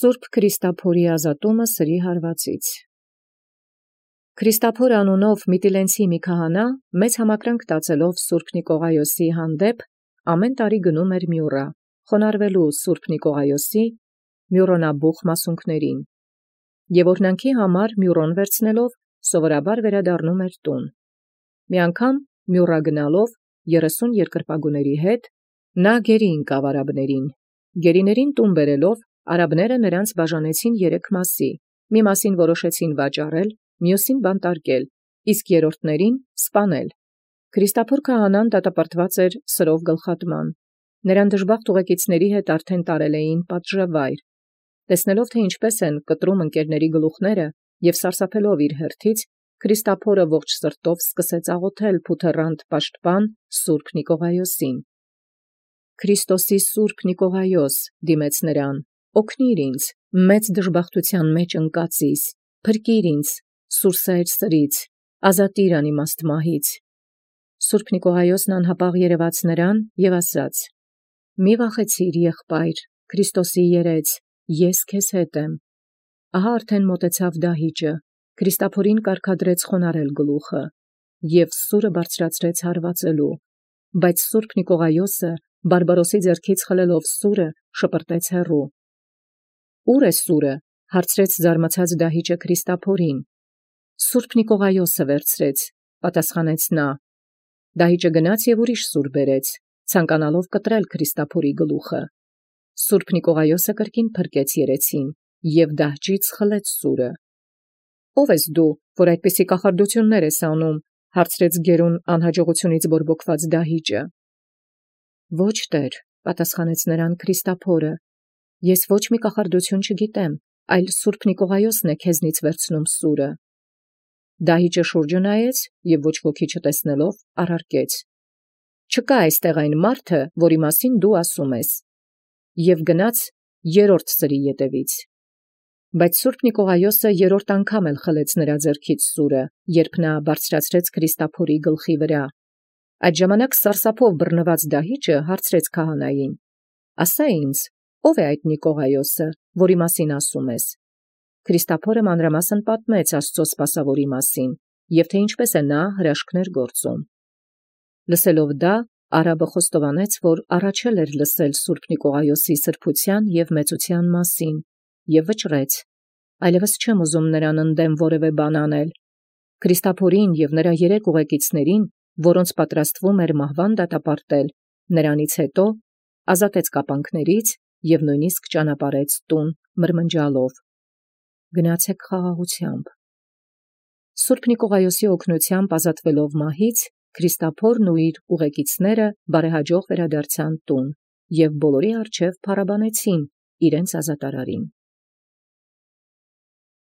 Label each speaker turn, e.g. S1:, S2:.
S1: Սուրբ Քրիստափորի ազատումը սրի հարվածից։ Քրիստափոր անունով Միտիլենցի մի քահանա մեծ համակրանք տածելով Սուրբ Նիկողայոսի հանդեպ ամեն տարի գնում էր Մյուռա, խոնարհվելու Սուրբ Նիկողայոսի մյուռոնաբուխ մասունքներին, եւ օրհնանքի համար մյուռոն վերցնելով սովորաբար վերադառնում էր տուն։ Մի անգամ Մյուռա գնալով 30 երկրպագուների հետ նա գերի ընկավ արաբներին։ Գերիներին տուն բերելով արաբները նրանց բաժանեցին 3 մասի, մի մասին որոշեցին վաճառել, մյուսին բանտարկել, իսկ երրորդներին սպանել։ Քրիստափոր քահանան դատապարտված էր սրով գլխատման։ Նրան դժբախտ ուղեկիցների հետ արդեն տարել էին պատժավայր։ Տեսնելով թե ինչպես են կտրում ընկերների գլուխները եւ սարսափելով իր հերթից, Քրիստափորը ողջ սրտով սկսեց աղոթել փութեռանտ պաշտպան Սուրբ Նիկողայոսին։ Քրիստոսի Սուրբ Նիկողայոս, դիմեց նրան, օգնիր ինձ, մեծ դժբախտության մեջ ընկածիս, փրկիր ինձ, սուրսայր սրից, ազատիր անիմաստ մահից։ Սուրբ Նիկողայոսն անհապաղ երևաց նրան եւ ասաց. «Մի վախեցիր, եղբայր, Քրիստոսի երեծ, ես քեզ հետ եմ»։ Ահա արդեն մոտեցավ դահիճը, Քրիստափորին կարգադրեց խոնարհել գլուխը եւ սուրը բարձրացրեց հարվածելու, բայց Սուրբ Նիկողայոսը բարբարոսի ձեռքից խլելով սուրը շպրտեց հեռու։ «Ո՞ւր է սուրը»։ հարցրեց զարմացած դահիճը Քրիստափորին։ «Սուրբ Նիկողայոսը վերցրեց», պատասխանեց նա։ Դահիճը գնաց եւ ուրիշ սուր բերեց, ցանկանալով կտրել Քրիստափորի գլուխը։ Սուրբ Նիկողայոսը կրկին փրկեց երեցին եւ դահճից խլեց սուրը։ «Ո՞վ ես դու, որ այդպիսի կախարդություններ ես անում», հարցրեց գերուն անհաջողությունից բորբոքված դահիճը։ «Ոչ, Տեր», պատասխանեց նրան Քրիստափորը, «ես ոչ մի կախարդություն չգիտեմ, այլ Սուրբ Նիկողայոսն է քեզնից վերցնում սուրը»։ Դահիճը շուրջը նայեց եւ ոչ ոքի չտեսնելով առարկեց. «Չկա այստեղ այն մարդը, որի մասին դու ասում ես», եւ գնաց երրորդ սրի ետևից։ Բայց Սուրբ Նիկողայոսը երրորդ անգամ էլ խլեց նրա ձեռքից սուրը, երբ նա բարձրացրեց Քրիստափորի գլխի վրա։ Այդ ժամանակ սարսափով բռնված դահիճը հարցրեց քահանային. «Ասա ինձ, ո՞վ է այդ Նիկողայոսը, որի մասին ասում ես»։ Քրիստափորը մանրամասն պատմեց Աստծո սպասավորի մասին եւ թե ինչպես է նա հրաշքներ գործում։ Լսելով դա, արաբը խոստովանեց, որ առաջել էր լսել Սուրբ Նիկողայոսի սրբության եւ մեծության մասին, եւ վճռեց. «Այլևս չեմ ուզում նրան ընդդեմ որևէ բան անել»։ Քրիստափորին եւ նրա 3 ուղեկիցներին, որոնց պատրաստվում էր մահվան դատապարտել, նրանից հետո ազատեց կապանքներից եւ նույնիսկ ճանապարհեց տուն մրմնջալով. «Գնացեք խաղաղությամբ»։ Սուրբ Նիկողայոսի օգնությամբ ազատվելով մահից, Քրիստափորն ու իր ուղեկիցները բարեհաջող վերադարձան տուն եւ բոլորի առջև փառաբանեցին իրենց ազատարարին։